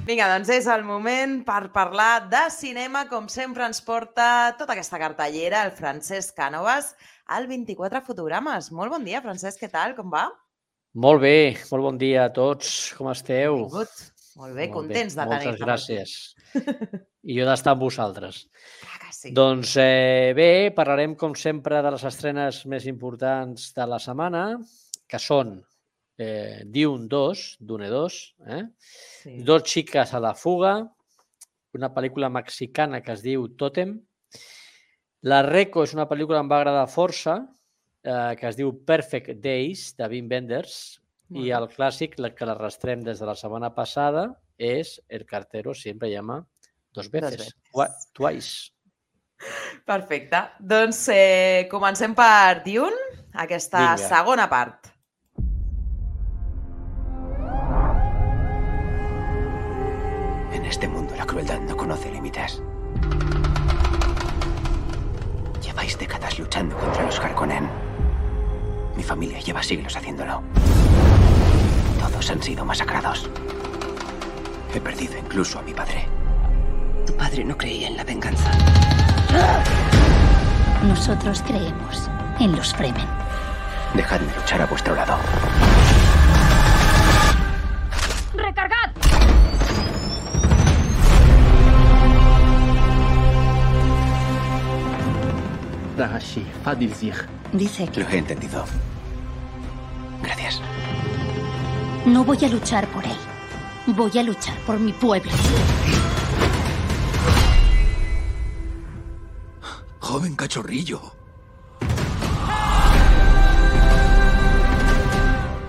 Vinga, doncs és el moment per parlar de cinema, com sempre ens porta tota aquesta cartellera el Francesc Cànovas, al 24 fotogrames. Molt bon dia, Francesc, què tal? Com va? Molt bé, molt bon dia a tots. Com esteu? Benvingut. Molt bé, contents de tenir-te per aquí. Moltes gràcies. I jo d'estar amb vosaltres. Clar que sí. Doncs bé, parlarem com sempre de les estrenes més importants de la setmana, que són Dune 2, Dune 2, Sí. Dos xiques a la fuga, una pel·lícula mexicana que es diu Totem, La Reco és una pel·lícula que em va agradar força, que es diu Perfect Days, de Wim Wenders, Molt i bé. el clàssic, que l'arrastrem des de la setmana passada, és El cartero siempre llama dos veces. Twice. Perfecte. Doncs comencem per Dune, aquesta Vinga. segona part. En este mundo la crueldad no conoce límites. Lleváis décadas luchando contra los Harkonnen. Mi familia lleva siglos haciéndolo. Todos han sido masacrados. He perdido incluso a mi padre. Tu padre no creía en la venganza. Nosotros creemos en los Fremen. Dejadme luchar a vuestro lado. ¡Recargad! Ragashi, Fadilzig. Dice que Lo he entendido. Gracias. no voy a luchar por él. Voy a luchar por mi pueblo. Joven cachorrillo.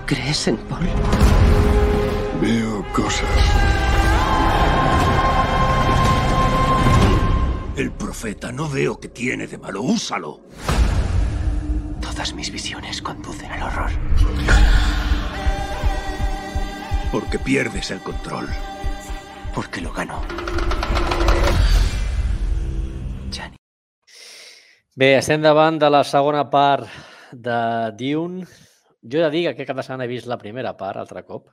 ¿Crees en Paul? Veo cosas. El profeta no veo que tiene de malo. Úsalo. Todas mis visiones conducen al horror. Porque pierdes el control. Porque lo gano. Jani. Bé, estem davant de la segona part de Dune. Jo he de dir que aquest cap de setmana he vist la primera part altre cop,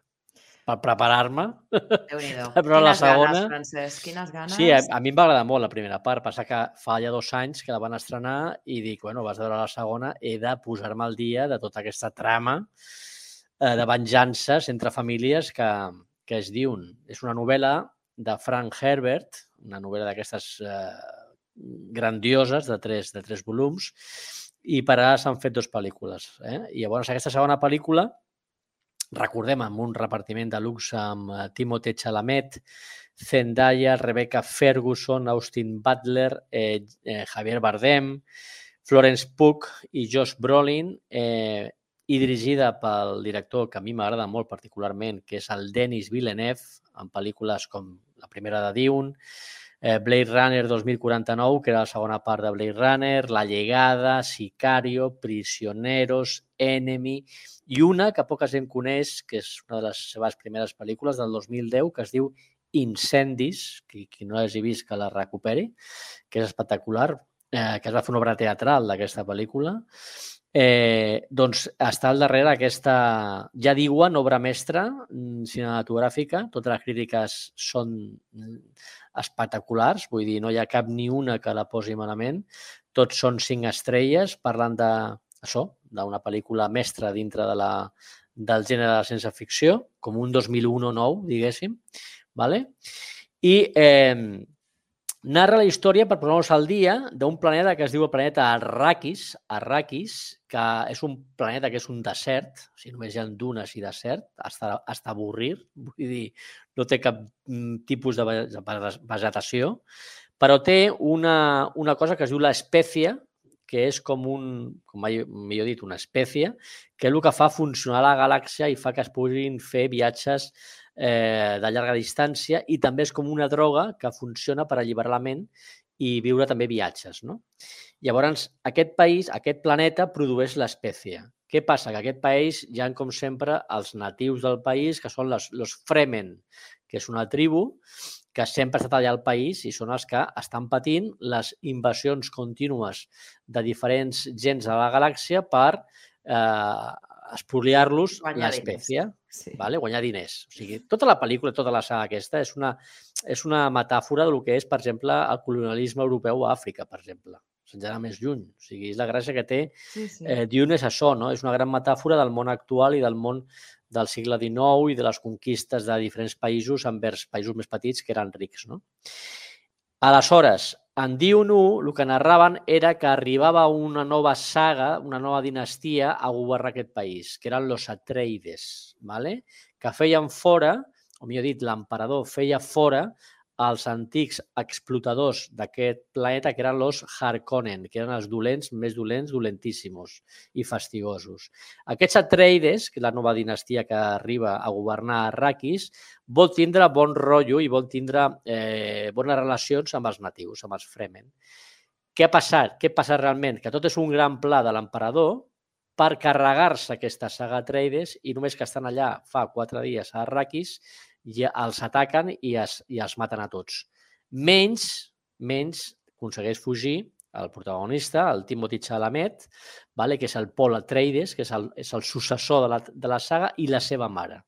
per preparar-me. Déu-n'hi-do. Però la Quines segona... ganes, Francesc, quines ganes. Sí, a mi em va agradar molt la primera part. Passa que fa ja 2 anys que la van estrenar i dic, bueno, vas veure la segona, he de posar-me al dia de tota aquesta trama de venjances entre famílies que es Dune. És una novel·la de Frank Herbert, una novel·la d'aquestes grandioses de 3 volums, i per ara s'han fet 2 pel·lícules. I llavors aquesta segona pel·lícula, recordem, amb un repartiment de luxe amb Timothée Chalamet, Zendaya, Rebecca Ferguson, Austin Butler, Javier Bardem, Florence Pugh i Josh Brolin, i dirigida pel director que a mi m'agrada molt particularment, que és el Denis Villeneuve, en pel·lícules com la primera de Dune, Blade Runner 2049, que era la segona part de Blade Runner, La Llegada, Sicario, Prisioneros, Enemy, i una que poca gent coneix, que és una de les seves primeres pel·lícules del 2010, que es diu Incendis, qui no l'hagi vist que la recuperi, que és espectacular, que es va fer una obra teatral d'aquesta pel·lícula. Doncs està al darrere aquesta, ja diuen, obra mestra cinematogràfica. Totes les crítiques són espectaculars, vull dir, no hi ha cap ni una que la posi malament. Tots són 5 estrelles, parlant d'una pel·lícula mestra dintre del gènere de la ciència-ficció, com un 2001 nou, diguéssim. I narra la història, per posar-nos al dia, d'un planeta que es diu el planeta Arrakis, que és un planeta que és un desert, o sigui, només hi ha dunes i desert, hasta avorrir, vull dir, no té cap tipus de vegetació, però té una cosa que es diu l'espècie, que és com millor dit, una espècie, que és el que fa funcionar la galàxia i fa que es puguin fer viatges de llarga distància, i també és com una droga que funciona per alliberar la ment i viure també viatges. Llavors, aquest planeta produeix l'espècie. Què passa? Que aquest país hi ha, com sempre, els natius del país, que són els Fremen, que és una tribu que sempre ha estat allà al país i són els que estan patint les invasions contínues de diferents gens de la galàxia per espoliar-los Guanyar l'espècie, diners. Sí. guanyar diners. O sigui, tota la pel·lícula, tota la saga aquesta és una metàfora del que és, per exemple, el colonialisme europeu a Àfrica, per exemple. Sense anar més lluny. O sigui, és la gràcia que té Dune és això, no? És una gran metàfora del món actual i del món del segle XIX i de les conquistes de diferents països envers països més petits que eren rics, no? Aleshores, en Dune 1, el que narraven era que arribava una nova saga, una nova dinastia a governar aquest país, que eren los Atreides, que feien fora, o millor dit, l'emperador feia fora els antics explotadors d'aquest planeta, que eren los Harkonnen, que eren els dolents, més dolents, dolentíssimos i fastigosos. Aquests Atreides, que és la nova dinastia que arriba a governar Arrakis, vol tindre bon rotllo i vol tindre bones relacions amb els natius, amb els Fremen. Què ha passat? Què passa realment? Que tot és un gran pla de l'emperador per carregar-se aquesta saga Atreides i només que estan allà fa 4 dies a Arrakis ja els ataquen i els maten a tots. Menys aconsegueix fugir el protagonista, el Timothée Chalamet, que és el Paul Atreides, que és el successor de la saga, i la seva mare.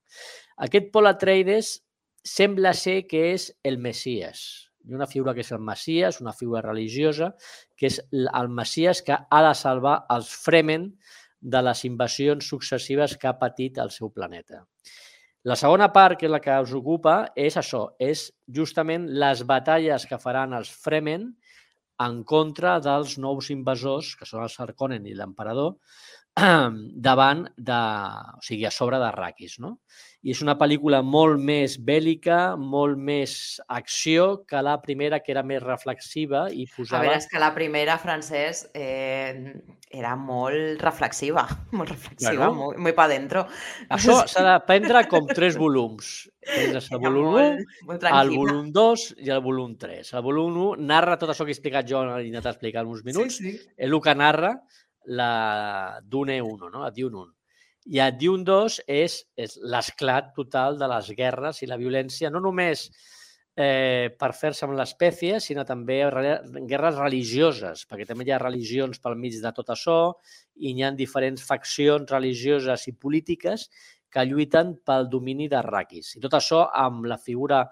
Aquest Paul Atreides sembla ser que és el Messies. Hi ha una figura que és el Messies, una figura religiosa, que és el Messies que ha de salvar els Fremen de les invasions successives que ha patit el seu planeta. La segona part, que és la que us ocupa, és això, és justament les batalles que faran els Fremen en contra dels nous invasors, que són els Harkonnen i l'emperador, davant o sigui, a sobre d'Arrakis, no? I és una pel·lícula molt més bèl·lica, molt més acció que la primera, que era més reflexiva i posava... A veure, és que la primera, Francesc, era molt reflexiva, bueno, muy pa dentro. Això s'ha de prendre com 3 volums. Tens el volum 1, el volum 2 i el volum 3. El volum 1 narra tot això que he explicat jo, he intentat explicar en uns minuts, és el que narra la Dune 1, no? La Dune 1. I a Dune 2 és l'esclat total de les guerres i la violència, no només per fer-se amb l'espècie, sinó també guerres religioses, perquè també hi ha religions pel mig de tot això i hi ha diferents faccions religioses i polítiques que lluiten pel domini d'Arrakis. I tot això amb la figura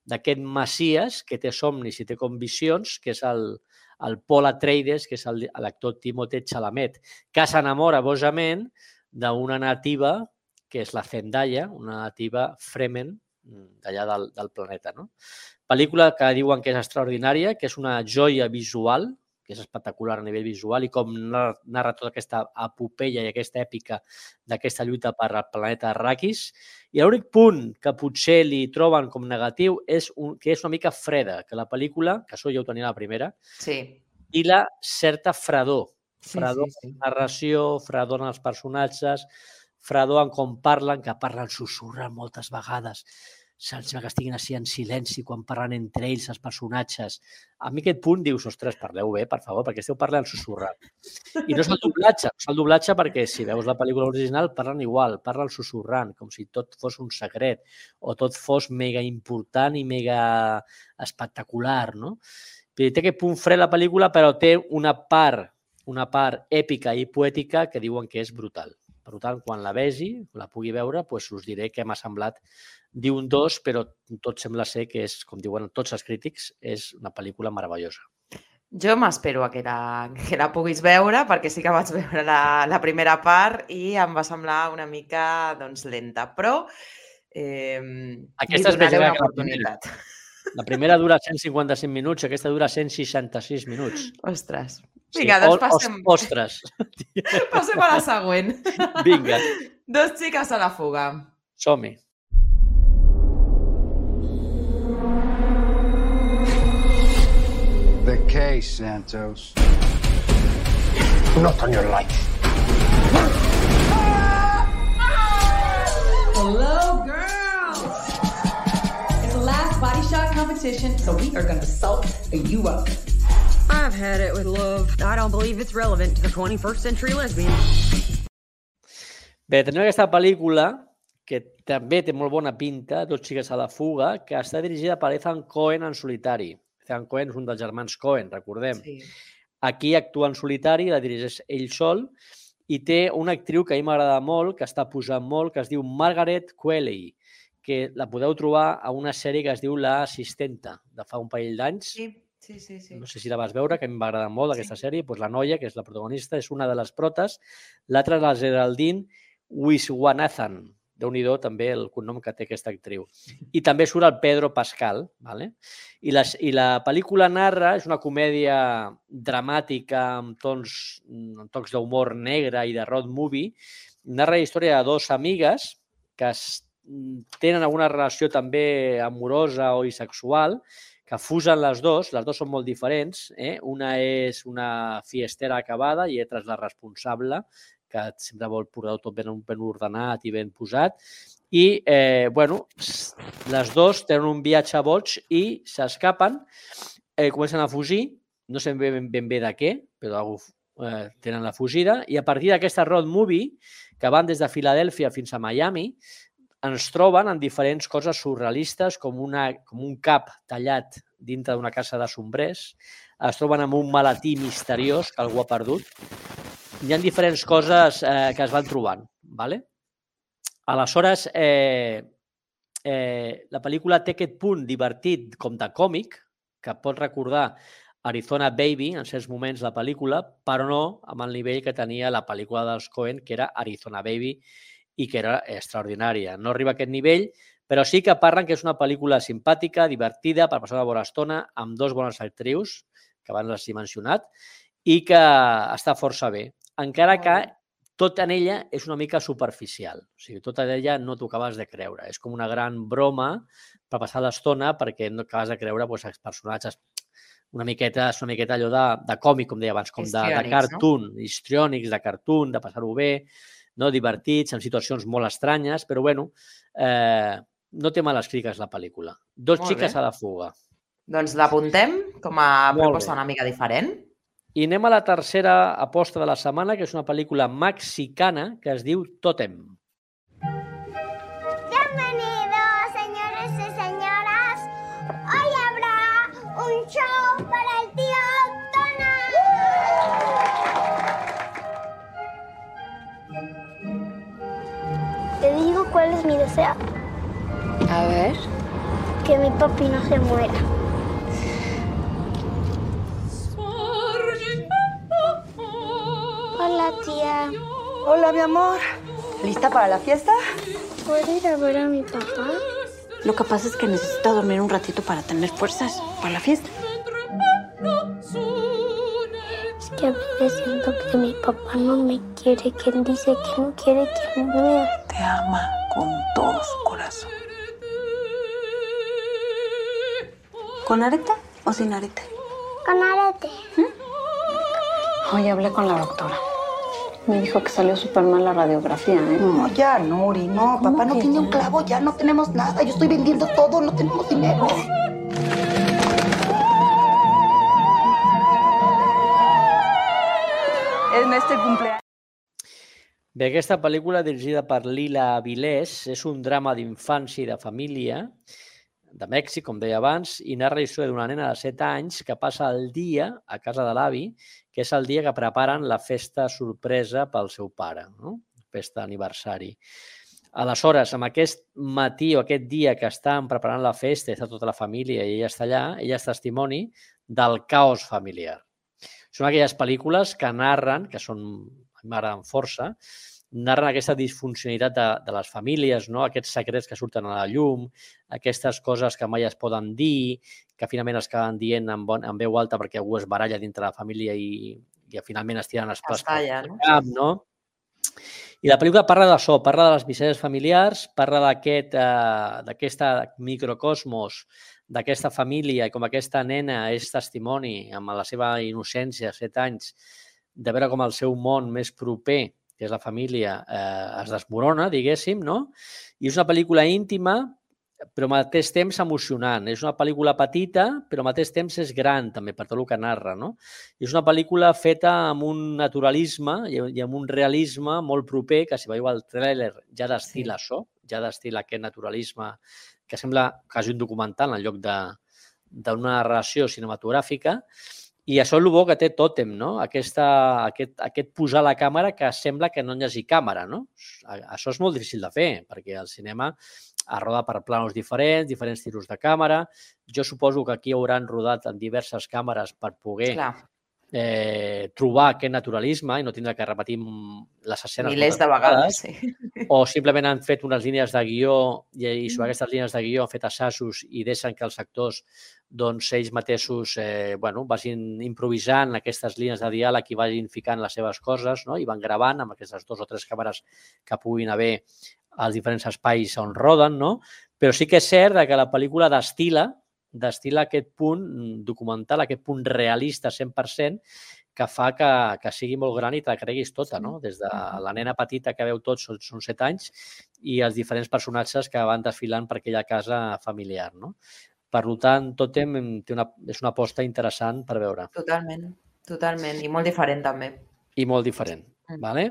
d'aquest Messies que té somnis i té conviccions, que és el Paul Atreides, que és l'actor Timothée Chalamet, que s'enamora bojament d'una nativa, que és la Zendaya, una nativa Fremen d'allà del planeta. Pel·lícula que diuen que és extraordinària, que és una joia visual, que és espectacular a nivell visual, i com narra tota aquesta epopeia i aquesta èpica d'aquesta lluita per al planeta Arrakis. I l'únic punt que potser li troben com negatiu és que és una mica freda, que la pel·lícula, que això ja ho tenia la primera, i la certa fredor. Fredor en la narració, fredor en els personatges, fredor en com parlen, que parlen sussurrant moltes vegades. Sembla que estiguin així en silenci quan parlen entre ells, els personatges. A mi aquest punt dius, ostres, parleu bé, per favor, perquè esteu parlant sussurrant. I no és el doblatge, perquè si veus la pel·lícula original parlen igual, parlen sussurrant, com si tot fos un secret o tot fos mega important i mega espectacular, no? Té aquest punt fred la pel·lícula, però té una part èpica i poètica que diuen que és brutal. Per tant, quan la vegi, la pugui veure, us diré què m'ha semblat Dune 2, però tot sembla ser que és, com diuen tots els crítics, és una pel·lícula meravellosa. Jo m'espero que la puguis veure, perquè sí que vaig veure la primera part i em va semblar una mica lenta, però aquesta és més llarga que la primera. La primera dura 155 minuts, aquesta dura 166 minuts. Ostres. Vinga, doncs passem... Ostres. Passem a la següent. Vinga. 2 xiques a la fuga. Som-hi. The case, Santos. Not on your life. Hello, girls. It's the last body shot competition, so we are going to salt you up. I've had it with love. I don't believe it's relevant to the 21st century lesbian. Bé, tenim aquesta pel·lícula que també té molt bona pinta, 2 xiques a la fuga, que està dirigida per Ethan Coen en solitari. Ethan Coen és un dels germans Coen, recordem. Sí. Aquí actua en solitari, la dirigeix ell sol, i té una actriu que a mi m'agrada molt, que està posant molt, que es diu Margaret Qualley, que la podeu trobar a una sèrie que es diu La Assistenta, de fa un parell d'anys. Sí. No sé si la vas veure, que a mi m'agrada molt aquesta sèrie. Doncs la noia, que és la protagonista, és una de les protes. L'altra és la Geraldine Wiswanathan. Déu-n'hi-do també el cognom que té aquesta actriu. I també surt el Pedro Pascal. Vale? I la pel·lícula narra, és una comèdia dramàtica amb tocs d'humor negre i de road movie. Narra la història de dos amigues que tenen alguna relació també amorosa o bisexual, que fusen les dues són molt diferents. Una és una fiestera acabada i l'altra és la responsable, que sempre vol portar tot ben ordenat i ben posat. I, les dues tenen un viatge boig i s'escapen, comencen a fugir, no sabem ben bé de què, però tenen la fugida, i a partir d'aquesta road movie, que van des de Filadèlfia fins a Miami, ens troben en diferents coses surrealistes, com un cap tallat dintre d'una casa de sombrers, es troben amb un maletí misteriós que algú ha perdut. Hi ha diferents coses que es van trobant. Aleshores, la pel·lícula té aquest punt divertit com de còmic, que pot recordar Arizona Baby en certs moments la pel·lícula, però no amb el nivell que tenia la pel·lícula dels Coen, que era Arizona Baby, i que era extraordinària. No arriba a aquest nivell, però sí que parlen que és una pel·lícula simpàtica, divertida, per passar una bona estona, amb dos bones actrius, que abans les he mencionat, i que està força bé. Encara que tot en ella és una mica superficial. O sigui, tot en ella no t'ho acabes de creure. És com una gran broma per passar l'estona perquè no acabes de creure els personatges una miqueta allò de còmic, com deia abans, com de cartoon, histriònics, de cartoon, de passar-ho bé, divertits, en situacions molt estranyes, però bueno, no té males crítiques la pel·lícula. Dos xiques a la fuga. Doncs l'apuntem com a proposta una mica diferent. I anem a la tercera aposta de la setmana, que és una pel·lícula mexicana que es diu Tótem. Bienvenidos, señores y señoras. Hoy habrá un show para el tío Tona. Te digo cuál es mi deseo. A ver. Que mi papi no se muera. Hola, tía. Hola, mi amor. ¿Lista para la fiesta? ¿Puedo ir a ver a mi papá? Lo que pasa es que necesito dormir un ratito para tener fuerzas para la fiesta. Es que a veces siento que mi papá no me quiere, que él dice que no quiere que me vea. Te ama con todo su corazón. ¿Con arete o sin arete? Con arete. Hoy hablé con la doctora. Me dijo que salió súper mal la radiografía, ¿eh? No, ya, Nuri, no. Papá no tiene un clavo, ya no tenemos nada. Yo estoy vendiendo todo, no tenemos dinero. En este cumpleaños. Bé, aquesta pel·lícula, dirigida per Lila Vilés, és un drama d'infància i de família de Mèxic, com deia abans, i narra la història d'una nena de 7 anys que passa el dia a casa de l'avi, que és el dia que preparen la festa sorpresa pel seu pare, no? Festa d'aniversari. Aleshores, amb aquest matí o aquest dia que estan preparant la festa, està tota la família i ella està allà, ella és testimoni del caos familiar. Són aquelles pel·lícules que narren, que m'agraden força, narren aquesta disfuncionalitat de les famílies, no? Aquests secrets que surten a la llum, aquestes coses que mai es poden dir, que finalment es acaben dient en veu alta perquè algú es baralla dintre la família i finalment es tiren els plats pel cap, no? I la pel·lícula parla d'això, parla de les misèries familiars, parla d'aquest microcosmos, d'aquesta família i com aquesta nena és testimoni amb la seva innocència, 7 anys, de veure com el seu món més proper, que és la família, es desmorona, diguéssim, no? I és una pel·lícula íntima, però al mateix temps emocionant. És una pel·lícula petita, però al mateix temps és gran, també, per tot el que narra, no? És una pel·lícula feta amb un naturalisme i amb un realisme molt proper, que si veieu el tràiler ja destila això, ja destila aquest naturalisme que sembla quasi un documental en lloc d'una narració cinematogràfica. I això és el bo que té Tòtem, no? Aquest posar la càmera que sembla que no hi hagi càmera, no? Això és molt difícil de fer, perquè el cinema es roda per planos diferents tiros de càmera. Jo suposo que aquí hauran rodat en diverses càmeres per poder trobar aquest naturalisme i no tindre que repetir les escenes milers de vegades, sí. O simplement han fet unes línies de guió i sobre aquestes línies de guió han fet assajos i deixen que els actors ells mateixos vagin improvisant aquestes línies de diàleg i vagin ficant les seves coses i van gravant amb aquestes 2 o 3 càmeres que puguin haver als diferents espais on roden, però sí que és cert que la pel·lícula destil·la aquest punt documental, aquest punt realista 100%, que fa que sigui molt gran i te la creguis tota, no? Des de la nena petita que veu tots, són 7 anys, i els diferents personatges que van desfilant per aquella casa familiar, no? Per tant, Tòtem és una aposta interessant per veure. Totalment, i molt diferent també. I molt diferent, vale?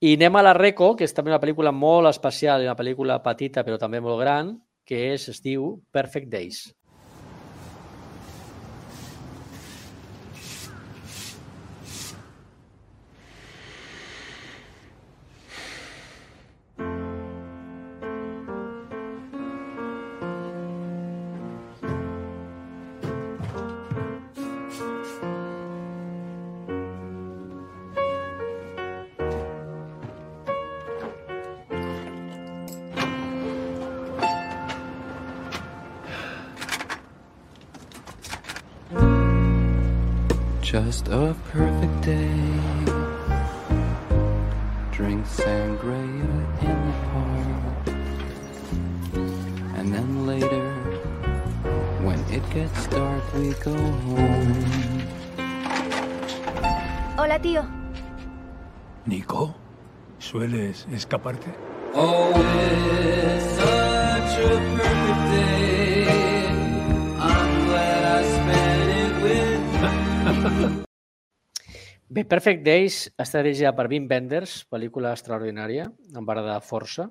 I anem a la Reco, que és també una pel·lícula molt especial, una pel·lícula petita però també molt gran, que es diu Perfect Days. Just a perfect day. Drink sangria in the park. And then later, when it gets dark, we go home. Hola, tío. Nico, ¿sueles escaparte? Oh, it's such a perfect day. I'm glad I spent it with Bé, Perfect Days està dirigida per Wim Wenders, pel·lícula extraordinària, em va agradar força.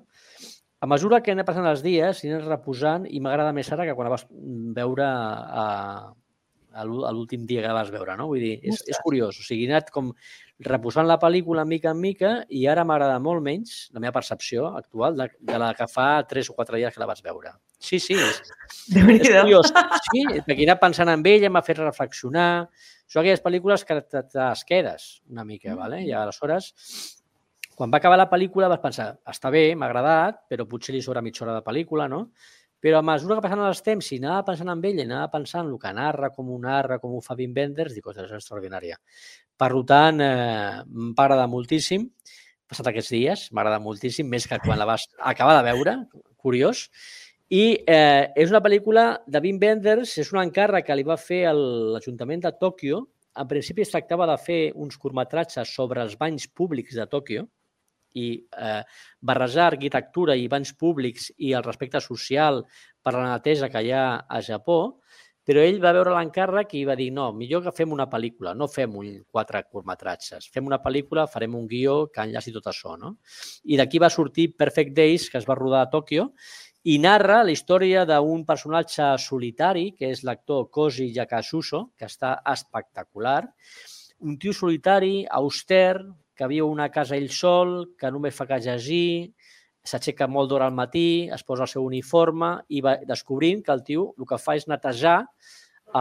A mesura que anem passant els dies, anem reposant i m'agrada més ara que quan la vas veure a l'últim dia que la vas veure, no? Vull dir, és curiós. O sigui, he anat com reposant la pel·lícula mica en mica i ara m'agrada molt menys, la meva percepció actual, de la que fa 3 o 4 dies que la vas veure. Sí, és curiós. Sí, perquè he anat pensant en ella, m'ha fet reflexionar. Són aquelles pel·lícules que t'es quedes una mica, i aleshores, quan va acabar la pel·lícula vas pensar, està bé, m'ha agradat, però potser li sobra mitja hora de pel·lícula, no? Però a mesura que passen els temps i anava pensant en ella, anava pensant el que narra, com ho fa Wim Wenders, dic, és extraordinària. Per tant, m'ha agradat moltíssim, passat aquests dies, m'ha agradat moltíssim, més que quan la vas acabar de veure, curiós. I és una pel·lícula de Wim Wenders, és un encàrrec que li va fer l'Ajuntament de Tòquio. En principi es tractava de fer uns curtmetratges sobre els banys públics de Tòquio i barrejar arquitectura i banys públics i el respecte social per la neteja que hi ha a Japó, però ell va veure l'encàrrec i va dir no, millor que fem una pel·lícula, no fem 4 curtmetratges, fem una pel·lícula, farem un guió que enllaci tot això, no? I d'aquí va sortir Perfect Days, que es va rodar a Tòquio, i narra la història d'un personatge solitari, que és l'actor Koji Yakasuso, que està espectacular. Un tio solitari, auster, que viu a una casa ell sol, que només fa que llegir, s'aixeca molt d'hora al matí, es posa el seu uniforme i va descobrint que el tio el que fa és netejar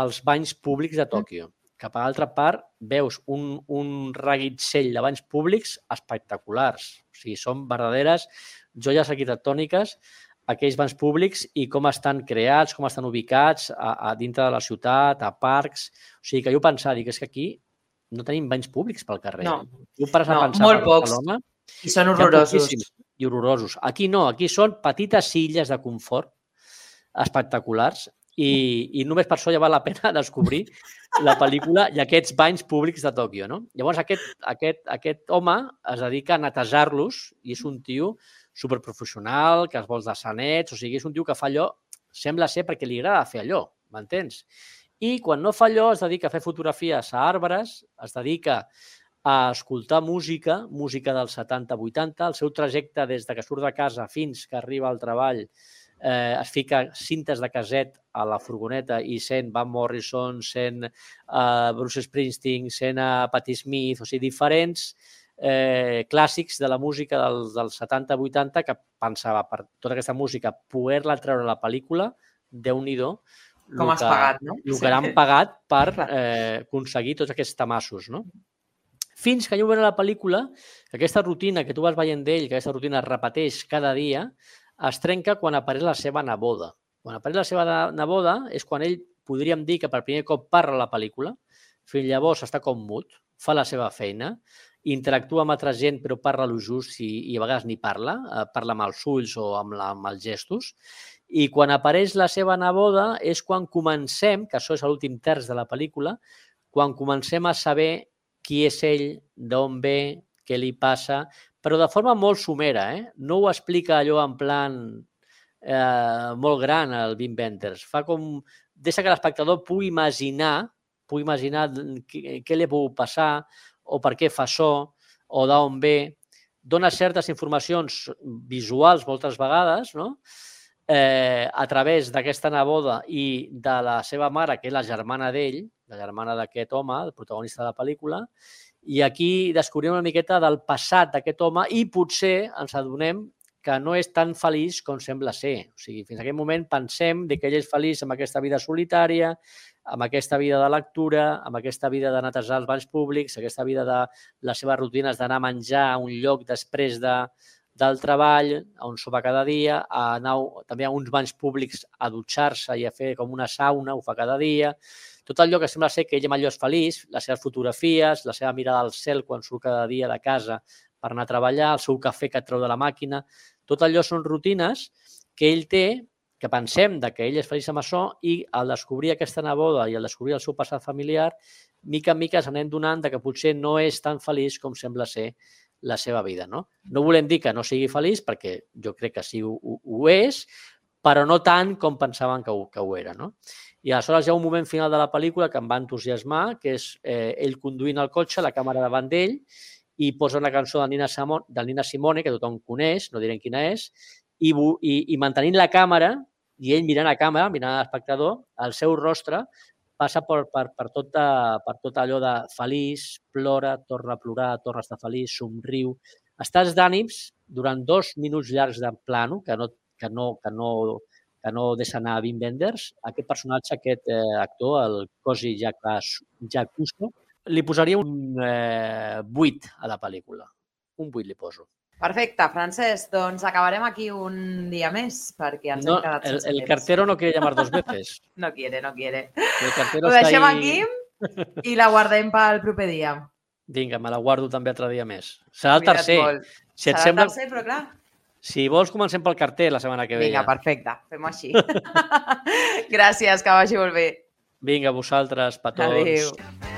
els banys públics de Tòquio. Que per altra part veus un reguitzell de banys públics espectaculars. O sigui, són verdaderes joies arquitectòniques aquells banys públics i com estan creats, com estan ubicats a dintre de la ciutat, a parcs. O sigui, que jo pensava, dic, és que aquí no tenim banys públics pel carrer. No, molt pocs. I són horrorosos. I horrorosos. Aquí no, aquí són petites illes de confort espectaculars i només per això ja val la pena descobrir la pel·lícula i aquests banys públics de Tòquio, no? Llavors, aquest home es dedica a netejar-los i és un tio superprofessional, que es vol de sanets, o sigui, és un tio que fa allò, sembla ser perquè li agrada fer allò, m'entens? I quan no fa allò es dedica a fer fotografies a arbres, es dedica a escoltar música dels 70-80, el seu trajecte des que surt de casa fins que arriba al treball es fica cintes de caset a la furgoneta i sent Van Morrison, sent Bruce Springsteen, sent Patti Smith, o sigui, diferents clàssics de la música dels 70-80 que pensava per tota aquesta música poder-la treure a la pel·lícula, Déu-n'hi-do, com has pagat, no? El que han pagat per aconseguir tots aquests tamassos, no? Fins que jo veure la pel·lícula, aquesta rutina que tu vas veient d'ell, que aquesta rutina es repeteix cada dia, es trenca quan apareix la seva neboda. Quan apareix la seva neboda és quan ell, podríem dir, que per primer cop parla a la pel·lícula, fins llavors està com mut, fa la seva feina, interactua amb altra gent però parla lo just i a vegades ni parla, parla amb els ulls o amb els gestos, i quan apareix la seva neboda és quan comencem, que això és l'últim terç de la pel·lícula, quan comencem a saber qui és ell, d'on ve, què li passa, però de forma molt somera, no ho explica allò en plan molt gran, el Wim Wenders. Fa com... Deixa que l'espectador pugui imaginar què li ha pogut passar o per què fa això o d'on ve. Dona certes informacions visuals moltes vegades, no? A través d'aquesta neboda i de la seva mare, que és la germana d'ell, la germana d'aquest home, el protagonista de la pel·lícula, i aquí descobrim una miqueta del passat d'aquest home i potser ens adonem que no és tan feliç com sembla ser. O sigui, fins a aquest moment pensem que ell és feliç amb aquesta vida solitària, amb aquesta vida de lectura, amb aquesta vida de netejar els banys públics, aquesta vida de les seves rutines d'anar a menjar a un lloc després del treball, on sopa cada dia, a anar també a uns banys públics a dutxar-se i a fer com una sauna, ho fa cada dia. Tot allò que sembla ser que ell amb allò és feliç, les seves fotografies, la seva mirada al cel quan surt cada dia de casa per anar a treballar, el seu cafè que et treu de la màquina, tot allò són rutines que ell té, que pensem que ell és feliç amb això i al descobrir aquesta neboda i al descobrir el seu passat familiar, mica en mica s'anem donant que potser no és tan feliç com sembla ser la seva vida. No volem dir que no sigui feliç, perquè jo crec que sí ho és, però no tant com pensaven que ho era. No? I aleshores hi ha un moment final de la pel·lícula que em va entusiasmar, que és ell conduint el cotxe, la càmera davant d'ell, i posa una cançó de Nina Simone, que tothom coneix, no direm quina és, i mantenint la càmera, i ell mirant a càmera, mirant a l'espectador, el seu rostre passa per tot allò de feliç, plora, torna a plorar, torna a estar feliç, somriu. Estàs d'ànims durant 2 minuts llargs de plano, que no deixa anar a Wim Wenders, aquest personatge, aquest actor, el Cosi Jacuso, li posaria un 8 a la pel·lícula. Un 8 li poso. Perfecte, Francesc. Doncs acabarem aquí un dia més, perquè ens hem quedat sense temps. El cartero no quiere llamar 2 veces. No quiere. Ho deixem aquí i la guardem pel proper dia. Vinga, me la guardo també altre dia més. Serà el tercer. Serà el tercer, però clar. Si vols, comencem pel carter la setmana que ve. Vinga, perfecte. Fem-ho així. Gràcies, que vagi molt bé. Vinga, vosaltres, petons. Adéu.